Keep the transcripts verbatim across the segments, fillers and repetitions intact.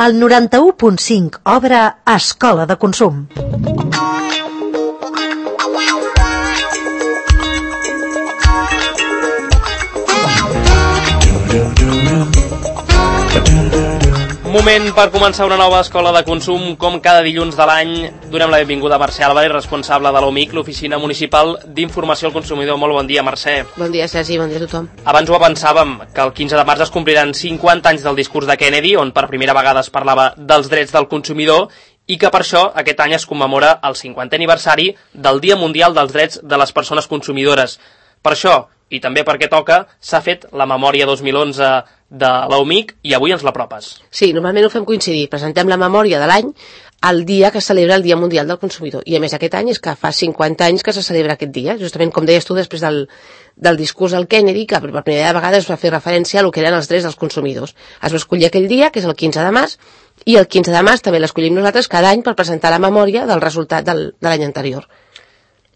El noranta-u punt cinc obre Escola de Consum. Moment per començar una nova escola de consum. Com cada dilluns de l'any, donem la benvinguda a Mercè Álvarez, responsable de l'O M I C, l'Oficina Municipal d'Informació al Consumidor. Molt bon dia, Mercè. Bon dia, Sergi, bon dia a tothom. Abans ho avançàvem, que el quinze de març es compliran cinquanta anys del discurs de Kennedy, on per primera vegada es parlava dels drets del consumidor, i que per això aquest any es commemora el cinquantè aniversari del Dia Mundial dels Drets de les Persones Consumidores. Per això, i també perquè toca, s'ha fet la memòria dos mil onze de l'O M I C i avui ens l'apropes. Sí, normalment ho fem coincidir. Presentem la memòria de l'any el dia que es celebra el Dia Mundial del Consumidor. I a més aquest any és que fa cinquanta anys que se celebra aquest dia, justament com deies tu després del, del discurs del Kennedy, que per primera vegada es va fer referència a lo que eren els drets dels consumidors. Es va escollir aquell dia, que és el quinze de març, i el quinze de març també l'escollim nosaltres cada any per presentar la memòria del resultat del, de l'any anterior.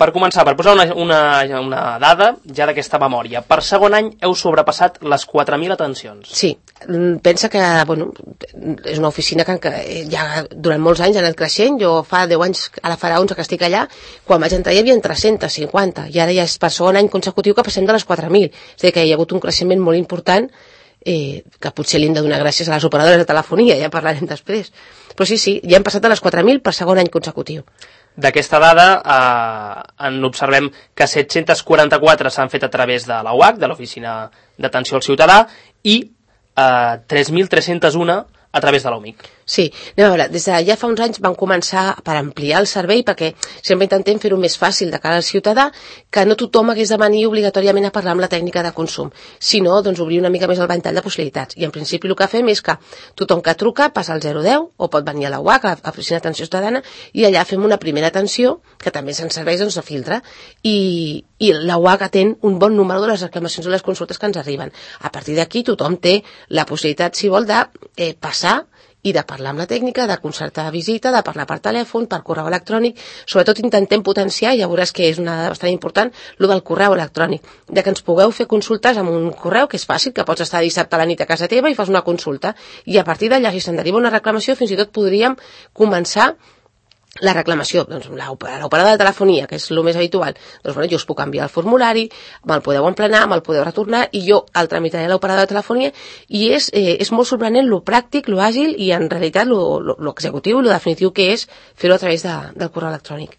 Per començar, per posar una, una, una dada ja d'aquesta memòria, per segon any heu sobrepassat les quatre mil atencions. Sí, pensa que bueno, és una oficina que, que ja durant molts anys ha anat creixent. Jo fa deu anys, ara farà onze que estic allà, quan vaig entrar hi havia tres-cents cinquanta, i ara ja és per segon any consecutiu que passem de les quatre mil. És a dir, que hi ha hagut un creixement molt important, eh, que potser li hem de donar gràcies a les operadores de telefonia, ja parlarem després. Però sí, sí, ja hem passat de les quatre mil per segon any consecutiu. D'aquesta dada eh, en observem que set-cents quaranta-quatre s'han fet a través de la U A C, de l'Oficina d'Atenció al Ciutadà, i eh, tres mil tres-cents u a través de l'O M I C. Sí, anem a veure, des de ja fa uns anys vam començar per ampliar el servei, perquè sempre intentem fer-ho més fàcil de cara al ciutadà, que no tothom hagués de venir obligatòriament a parlar amb la tècnica de consum, sinó doncs, obrir una mica més el ventall de possibilitats. I en principi el que fem és que tothom que truca passa al zero deu o pot venir a la U A C, a l'Oficina d'Atenció Ciutadana, i allà fem una primera atenció, que també se'n serveix doncs, de filtre, i, i la U A C atén un bon número de les reclamacions o les consultes que ens arriben. A partir d'aquí tothom té la possibilitat, si vol, de eh, passar i de parlar amb la tècnica, de concertar visita, de parlar per telèfon, per correu electrònic. Sobretot intentem potenciar, ja veuràs que és una dada bastant important, lo del correu electrònic, de que ens pugueu fer consultes amb un correu, que és fàcil, que pots estar dissabte a la nit a casa teva i fas una consulta, i a partir d'allà, si se'n deriva una reclamació, fins i tot podríem començar la reclamació. Doncs l'operadora de telefonia, que és el més habitual, doncs bueno, jo us puc enviar el formulari, me'l podeu emplenar, me'l podeu retornar, i jo el tramitaré a l'operadora de telefonia, i és, eh, és molt sorprenent lo pràctic, lo àgil, i en realitat lo, lo, lo executiu i lo definitiu que és fer-ho a través de, del correu electrònic.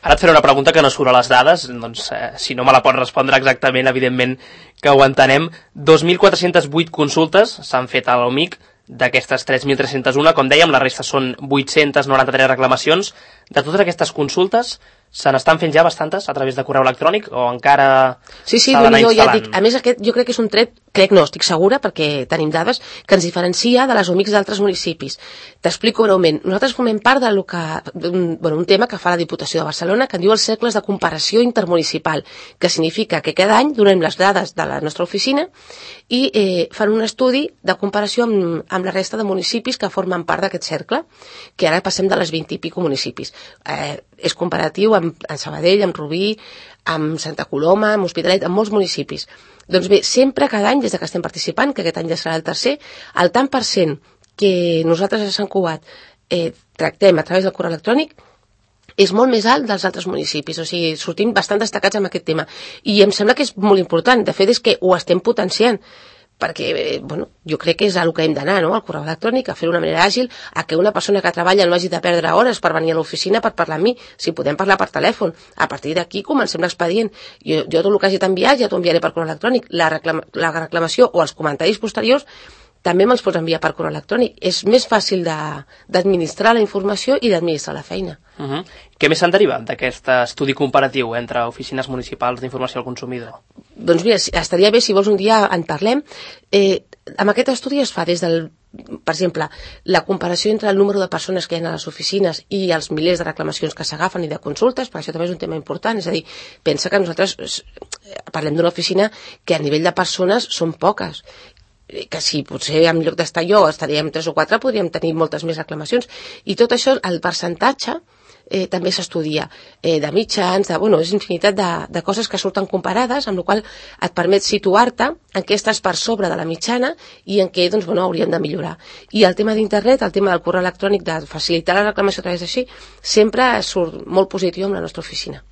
Ara et faré una pregunta que no surt a les dades, doncs eh, si no me la pots respondre exactament, evidentment que ho entenem. dos mil quatre-cents vuit consultes s'han fet a l'O M I C. D'aquestes tres mil tres-cents u, com dèiem, la resta són vuit-cents noranta-tres reclamacions. De totes aquestes consultes, se n'estan fent ja bastantes a través de correu electrònic o encara sí, sí, s'ha d'anar jo, instal·lant? Ja dic, a més, aquest jo crec que és un tret, crec no, estic segura, perquè tenim dades que ens diferencia de les O M I Cs d'altres municipis. T'explico breument. Nosaltres formem part de lo que, un, bueno, un tema que fa la Diputació de Barcelona, que en diu els cercles de comparació intermunicipal, que significa que cada any donem les dades de la nostra oficina i eh, fan un estudi de comparació amb, amb la resta de municipis que formen part d'aquest cercle, que ara passem de les vint i pico municipis. Eh, és comparatiu amb, amb Sabadell, amb Rubí, amb Santa Coloma, amb Hospitalet, amb molts municipis. Doncs bé, sempre cada any, des que estem participant, que aquest any ja serà el tercer, el tant per cent que nosaltres a Sant Cugat eh, tractem a través del correu electrònic és molt més alt dels altres municipis, o sigui, sortim bastant destacats amb aquest tema. I em sembla que és molt important, de fet és que ho estem potenciant, perquè, bueno, jo crec que és el que hem d'anar, no?, al correu electrònic, a fer d'una manera àgil, a que una persona que treballa no hagi de perdre hores per venir a l'oficina per parlar amb mi, si podem parlar per telèfon. A partir d'aquí comencem l'expedient. Jo, jo tot el que hagi d'enviar ja t'ho enviaré per correu electrònic. La, reclama, la reclamació o els comentaris posteriors també me'ls pots enviar per correu electrònic. És més fàcil d'administrar la informació i d'administrar la feina. Uh -huh. Què més se'n deriva d'aquest estudi comparatiu entre oficines municipals d'informació al consumidor? Doncs mira, estaria bé si vols un dia en parlem. Eh, amb aquest estudi es fa des del, per exemple, la comparació entre el número de persones que hi ha a les oficines i els milers de reclamacions que s'agafen i de consultes, perquè això també és un tema important. És a dir, pensa que nosaltres parlem d'una oficina que a nivell de persones són poques, que si potser en lloc d'estar jo estaríem tres o quatre, podríem tenir moltes més reclamacions. I tot això, el percentatge, eh, també s'estudia, eh, de mitjans, de, bueno, és infinitat de, de coses que surten comparades, amb la qual et permet situar-te en què estàs per sobre de la mitjana i en què, doncs, bueno, hauríem de millorar. I el tema d'internet, el tema del correu electrònic, de facilitar la reclamació a través d'així, sempre surt molt positiu amb la nostra oficina.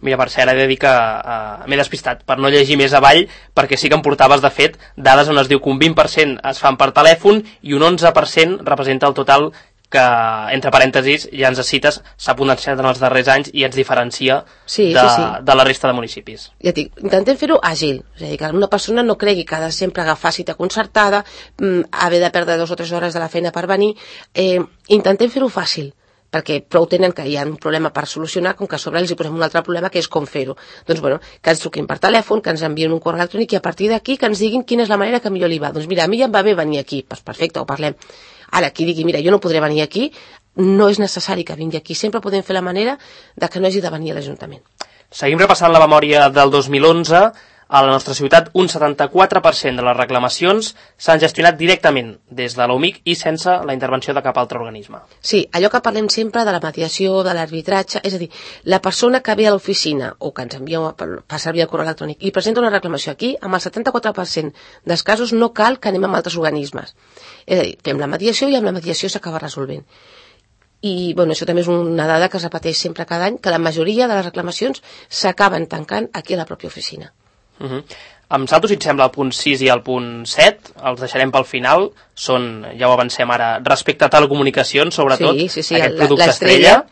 Mira, per cert, he de dir que uh, m'he despistat per no llegir més avall, perquè sí que em portaves, de fet, dades on es diu que un vint per cent es fan per telèfon i un onze per cent representa el total que, entre parèntesis, ja ens cites, s'ha potenciat en els darrers anys i ens diferencia sí, de, sí, sí. de la resta de municipis. Ja dic, intentem fer-ho àgil, és a dir, que una persona no cregui que ha de sempre agafar cita concertada, mm, haver de perdre dues o tres hores de la feina per venir, eh, intentem fer-ho fàcil, perquè prou tenen que hi ha un problema per solucionar, com que a sobre els hi posem un altre problema, que és com fer-ho. Doncs, bueno, que ens truquin per telèfon, que ens envien un correu electrònic i a partir d'aquí que ens diguin quina és la manera que millor li va. Doncs mira, a mi ja em va bé venir aquí, doncs perfecte, ho parlem. Ara, qui digui, mira, jo no podré venir aquí, no és necessari que vingui aquí, sempre podem fer la manera de que no hagi de venir a l'Ajuntament. Seguim repassant la memòria del dos mil onze. A la nostra ciutat, un setanta-quatre per cent de les reclamacions s'han gestionat directament des de l'O M I C i sense la intervenció de cap altre organisme. Sí, allò que parlem sempre de la mediació, de l'arbitratge, és a dir, la persona que ve a l'oficina o que ens envia per servir el correu electrònic i presenta una reclamació aquí, amb el setanta-quatre per cent dels casos no cal que anem amb altres organismes. És a dir, fem la mediació i amb la mediació s'acaba resolvent. I bueno, això també és una dada que es repeteix sempre cada any, que la majoria de les reclamacions s'acaben tancant aquí a la pròpia oficina. Uh -huh. Em salto, si et sembla, el punt sis i el punt set, els deixarem pel final, són, ja ho avancem ara, respecte a telecomunicacions, sobretot, sí, sí, sí, aquest producte estrella.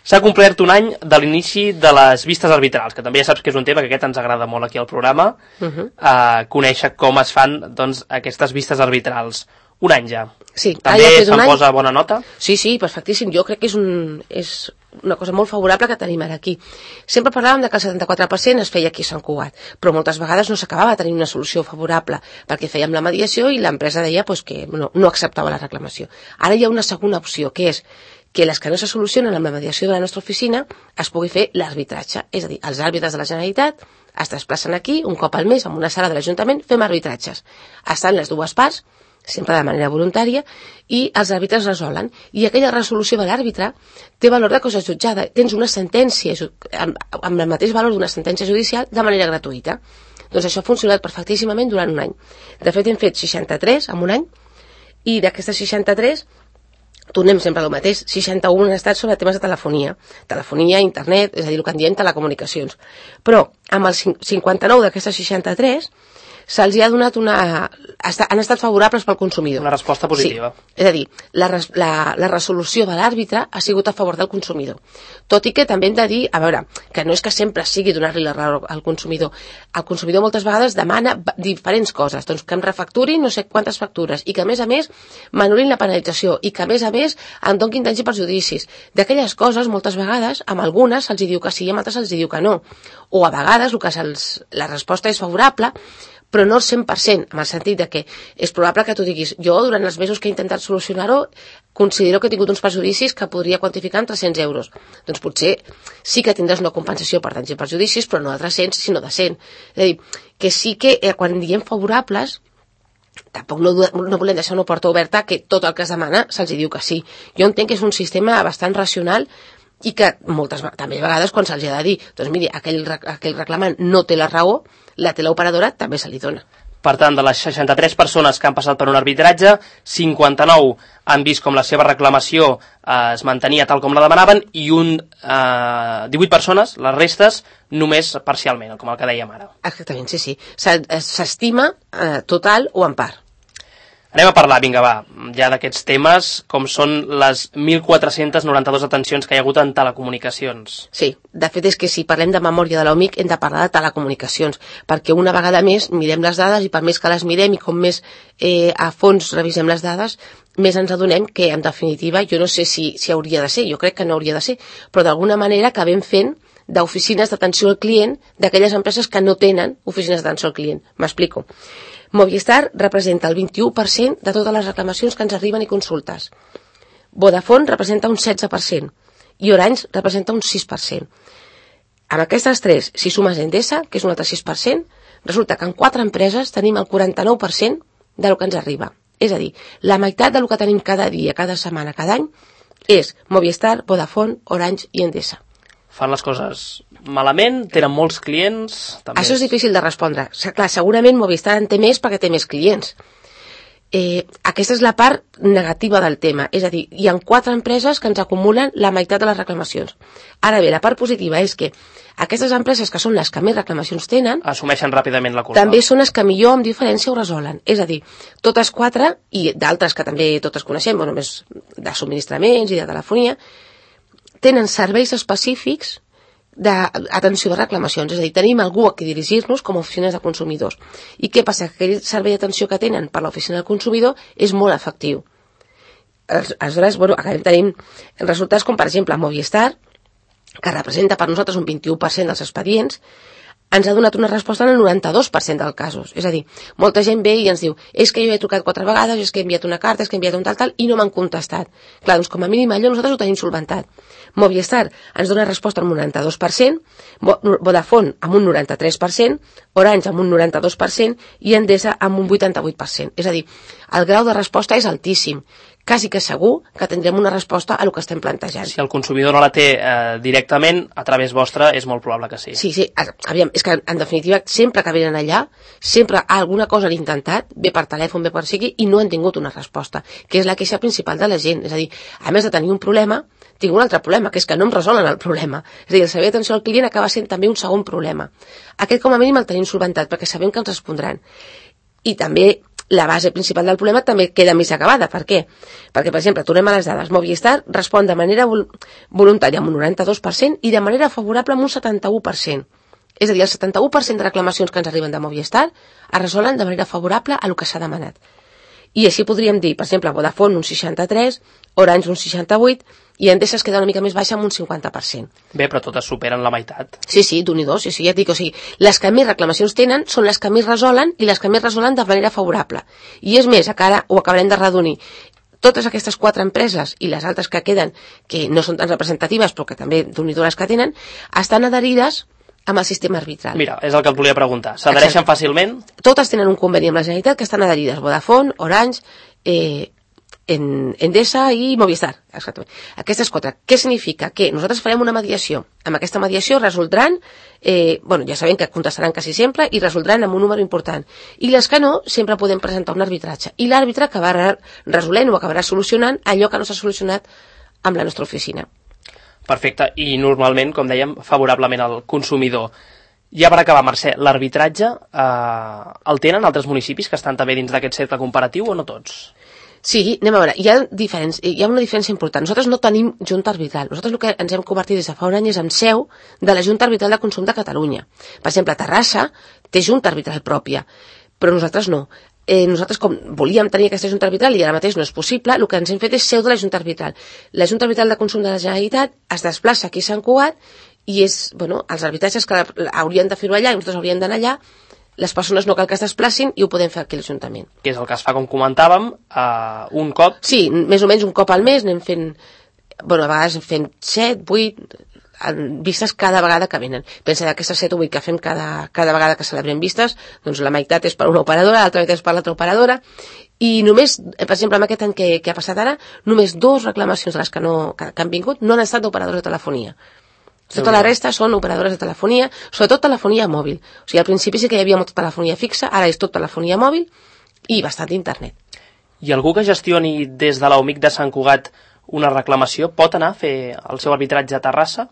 S'ha complert un any de l'inici de les vistes arbitrals, que també ja saps que és un tema que aquest ens agrada molt aquí al programa, uh -huh. eh, conèixer com es fan, doncs, aquestes vistes arbitrals. Un any ja. Sí, també ja se'n posa bona nota? Sí, sí, perfectíssim. Jo crec que és, un, és una cosa molt favorable que tenim ara aquí. Sempre parlàvem de que el setanta-quatre per cent es feia aquí a Sant Cugat, però moltes vegades no s'acabava tenint una solució favorable, perquè fèiem la mediació i l'empresa deia pues, que no, no acceptava la reclamació. Ara hi ha una segona opció, que és que les que no se solucionen amb la mediació de la nostra oficina es pugui fer l'arbitratge. És a dir, els àrbitres de la Generalitat es desplacen aquí un cop al mes en una sala de l'Ajuntament, fem arbitratges. Estan les dues parts, sempre de manera voluntària, i els àrbitres resolen. I aquella resolució de l'àrbitre té valor de cosa jutjada. Tens una sentència amb, amb el mateix valor d'una sentència judicial de manera gratuïta. Doncs això ha funcionat perfectíssimament durant un any. De fet, hem fet seixanta-tres en un any, i d'aquestes seixanta-tres tornem sempre al mateix. seixanta-u han estat sobre temes de telefonia. Telefonia, internet, és a dir, el que en diem telecomunicacions. Però amb el cinquanta-nou d'aquestes seixanta-tres se'ls ha donat una... han estat favorables pel consumidor. Una resposta positiva. Sí. És a dir, la, la, la resolució de l'àrbitre ha sigut a favor del consumidor. Tot i que també hem de dir, a veure, que no és que sempre sigui donar-li la raó al consumidor. El consumidor moltes vegades demana diferents coses, doncs que em refacturin no sé quantes factures i que a més a més m'anul·lin la penalització i que a més a més em donin danys i perjudicis. D'aquelles coses, moltes vegades, amb algunes se'ls diu que sí i amb altres se'ls diu que no. O a vegades el que se'ls, la resposta és favorable, però no el cent per cent, en el sentit de que és probable que tu diguis, jo durant els mesos que he intentat solucionar-ho considero que he tingut uns perjudicis que podria quantificar en tres-cents euros. Doncs potser sí que tindràs una compensació per danys i perjudicis, però no de tres-cents, sinó de cent. És a dir, que sí que eh, quan diem favorables, tampoc no, no volem deixar una porta oberta que tot el que es demana se'ls diu que sí. Jo entenc que és un sistema bastant racional i que moltes també a vegades quan se'ls ha de dir, doncs miri, aquell, aquell reclamant no té la raó, la teleoperadora també se li dona. Per tant, de les seixanta-tres persones que han passat per un arbitratge, cinquanta-nou han vist com la seva reclamació eh, es mantenia tal com la demanaven i un eh, divuit persones, les restes, només parcialment, com el que dèiem ara. Exactament, sí, sí. S'estima eh, total o en part. Anem a parlar, vinga, va, ja d'aquests temes, com són les mil quatre-cents noranta-dues atencions que hi ha hagut en telecomunicacions. Sí, de fet és que si parlem de memòria de l'O M I C hem de parlar de telecomunicacions, perquè una vegada més mirem les dades i per més que les mirem i com més eh, a fons revisem les dades, més ens adonem que, en definitiva, jo no sé si, si hauria de ser, jo crec que no hauria de ser, però d'alguna manera acabem fent d'oficines d'atenció al client d'aquelles empreses que no tenen oficines d'atenció al client. M'explico. Movistar representa el vint-i-u per cent de totes les reclamacions que ens arriben i consultes. Vodafone representa un setze per cent i Orange representa un sis per cent. Amb aquestes tres, si sumes Endesa, que és un altre sis per cent, resulta que en quatre empreses tenim el quaranta-nou per cent del que ens arriba. És a dir, la meitat del que tenim cada dia, cada setmana, cada any, és Movistar, Vodafone, Orange i Endesa. Fan les coses malament, tenen molts clients... També Això és difícil de respondre. Clar, segurament Movistar en té més perquè té més clients. Eh, aquesta és la part negativa del tema. És a dir, hi ha quatre empreses que ens acumulen la meitat de les reclamacions. Ara bé, la part positiva és que aquestes empreses, que són les que més reclamacions tenen, assumeixen ràpidament la culpa. També són les que millor, amb diferència, ho resolen. És a dir, totes quatre, i d'altres que també totes coneixem, bueno, més de subministraments i de telefonia, tenen serveis específics d'atenció de reclamacions. És a dir, tenim algú a qui dirigir-nos com a oficines de consumidors. I què passa? Que aquell servei d'atenció que tenen per l'oficina del consumidor és molt efectiu. Aleshores, bueno, acabem tenint resultats com, per exemple, Movistar, que representa per nosaltres un vint-i-u per cent dels expedients, ens ha donat una resposta en el noranta-dos per cent dels casos. És a dir, molta gent ve i ens diu és que jo he trucat quatre vegades, és que he enviat una carta, és que he enviat un tal, tal, i no m'han contestat. Clar, doncs com a mínim allò nosaltres ho tenim solventat. Movistar ens dona resposta amb un noranta-dos per cent, Vodafone amb un noranta-tres per cent, Orange amb un noranta-dos per cent i Endesa amb un vuitanta-vuit per cent. És a dir, el grau de resposta és altíssim. Quasi que segur que tindrem una resposta a el que estem plantejant. Si el consumidor no la té eh, directament, a través vostre, és molt probable que sí. Sí, sí, aviam, és que en definitiva, sempre que venen allà, sempre alguna cosa han intentat, bé per telèfon, bé per sigui, i no han tingut una resposta, que és la queixa principal de la gent. És a dir, a més de tenir un problema, tinc un altre problema, que és que no em resolen el problema. És a dir, el servei d'atenció al client acaba sent també un segon problema. Aquest, com a mínim, el tenim solventat, perquè sabem que ens respondran. I també la base principal del problema també queda més acabada. Per què? Perquè, per exemple, tornem a les dades. Movistar respon de manera vol voluntària amb un noranta-dos per cent i de manera favorable amb un setanta-u per cent. És a dir, el setanta-u per cent de reclamacions que ens arriben de Movistar es resolen de manera favorable a el que s'ha demanat. I així podríem dir, per exemple, Vodafone un seixanta-tres, Orange un seixanta-vuit i Endesa es queda una mica més baixa amb un cinquanta per cent. Bé, però totes superen la meitat. Sí, sí, d'un i dos, sí, sí, ja et dic, o sigui, les que més reclamacions tenen són les que més resolen i les que més resolen de manera favorable. I és més, ara ho acabarem de redonir. Totes aquestes quatre empreses i les altres que queden, que no són tan representatives, però que també d'un i dos les que tenen, estan adherides amb el sistema arbitral. Mira, és el que et volia preguntar. S'adhereixen fàcilment? Totes tenen un conveni amb la Generalitat que estan adherides. Vodafone, Orange, eh, en Endesa i Movistar. Exactament. Aquestes quatre. Què significa? Que nosaltres farem una mediació. Amb aquesta mediació resoldran, eh, bueno, ja sabem que contestaran quasi sempre i resoldran amb un número important. I les que no, sempre podem presentar un arbitratge. I l'àrbitre acabarà resolent o acabarà solucionant allò que no s'ha solucionat amb la nostra oficina. Perfecte, i normalment, com dèiem, favorablement al consumidor. Ja per acabar, Mercè, l'arbitratge eh, el tenen altres municipis que estan també dins d'aquest cercle comparatiu o no tots? Sí, anem a veure, hi ha, diferents, hi ha una diferència important. Nosaltres no tenim Junta Arbitral. Nosaltres el que ens hem convertit des de fa un any és en seu de la Junta Arbitral de Consum de Catalunya. Per exemple, Terrassa té Junta Arbitral pròpia, però nosaltres no. Eh, nosaltres, com volíem tenir aquesta Junta Arbitral i ara mateix no és possible, el que ens hem fet és seu de la Junta Arbitral. La Junta Arbitral de Consum de la Generalitat es desplaça aquí a Sant Cugat i és, bueno, els arbitratges que haurien de fer-ho allà i nosaltres hauríem d'anar allà, les persones no cal que es desplacin i ho podem fer aquí a l'Ajuntament. Que és el que es fa, com comentàvem, uh, un cop? Sí, més o menys un cop al mes anem fent, bueno, a vegades fent set, vuit vistes cada vegada que venen. Pensa d'aquestes set o vuit que fem cada, cada vegada que celebrem vistes, doncs la meitat és per una operadora, l'altra meitat és per l'altra operadora, i només, per exemple, amb aquest any que, que ha passat ara, només dos reclamacions de les que, no, que, que han vingut no han estat d'operadors de telefonia. Tota la resta són operadores de telefonia, sobretot telefonia mòbil. O sigui, al principi sí que hi havia molta telefonia fixa, ara és tot telefonia mòbil i bastant internet. I algú que gestioni des de l'O M I C de Sant Cugat una reclamació pot anar a fer el seu arbitratge a Terrassa?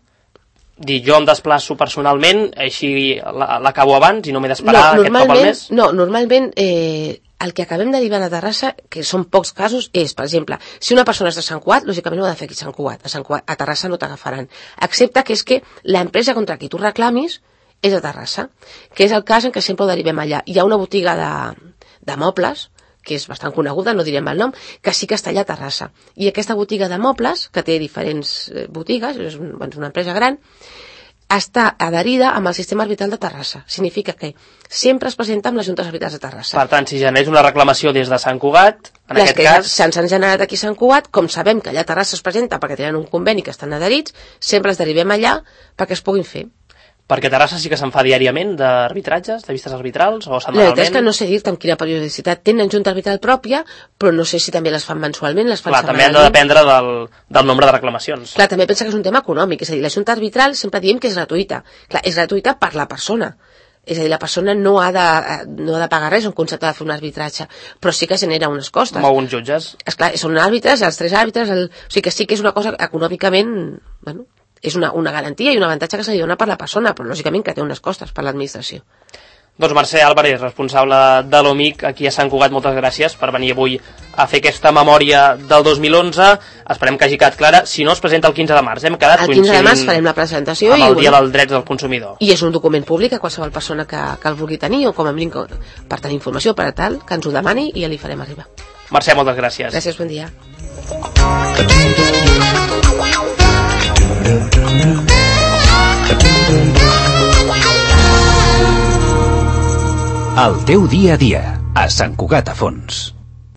Dir, jo em desplaço personalment, així l'acabo abans i no m'he d'esperar no, aquest cop al mes? No, normalment eh, el que acabem derivant a Terrassa, que són pocs casos, és, per exemple, si una persona és de Sant Cugat, lògicament ho ha de fer aquí a Sant Cugat. A, Sant Cugat, a Terrassa no t'agafaran. Excepte que és que l'empresa contra qui tu reclamis és a Terrassa, que és el cas en què sempre ho derivem allà. Hi ha una botiga de, de mobles, que és bastant coneguda, no direm el nom, que sí que està allà a Terrassa. I aquesta botiga de mobles, que té diferents botigues, és una empresa gran, està adherida amb el sistema arbitral de Terrassa. Significa que sempre es presenta amb les juntes arbitrals de Terrassa. Per tant, si generés una reclamació des de Sant Cugat, en les aquest cas... se'ns han generat aquí a Sant Cugat, com sabem que allà a Terrassa es presenta perquè tenen un conveni que estan adherits, sempre els derivem allà perquè es puguin fer. Perquè Terrassa sí que se'n fa diàriament d'arbitratges, de vistes arbitrals, o La setmanalment? veritat és que no sé dir-te amb quina periodicitat. Tenen junta arbitral pròpia, però no sé si també les fan mensualment, les fan Clar, també han de setmanalment. dependre del, del nombre de reclamacions. Clar, també pensa que és un tema econòmic, és a dir, la junta arbitral sempre diem que és gratuïta. Clar, és gratuïta per la persona. És a dir, la persona no ha de, no ha de pagar res en concepte de fer un arbitratge, però sí que genera unes costes. Mou uns jutges. Esclar, són àrbitres, els tres àrbitres, el... o sigui que sí que és una cosa econòmicament, bueno, és una, una garantia i un avantatge que se li dona per la persona, però lògicament que té unes costes per l'administració. Doncs Mercè Álvarez, responsable de l'O M I C aquí a Sant Cugat, moltes gràcies per venir avui a fer aquesta memòria del dos mil onze. Esperem que hagi quedat clara. Si no, es presenta el quinze de març. Hem quedat El quinze de març farem la presentació amb i, el Dia bueno, dels Drets del Consumidor. i és un document públic a qualsevol persona que, que el vulgui tenir o com a mínim per tenir informació, per a tal, que ens ho demani i ja li farem arribar. Mercè, moltes gràcies. Gràcies, bon dia. El teu dia a dia, a Sant Cugat a Fons.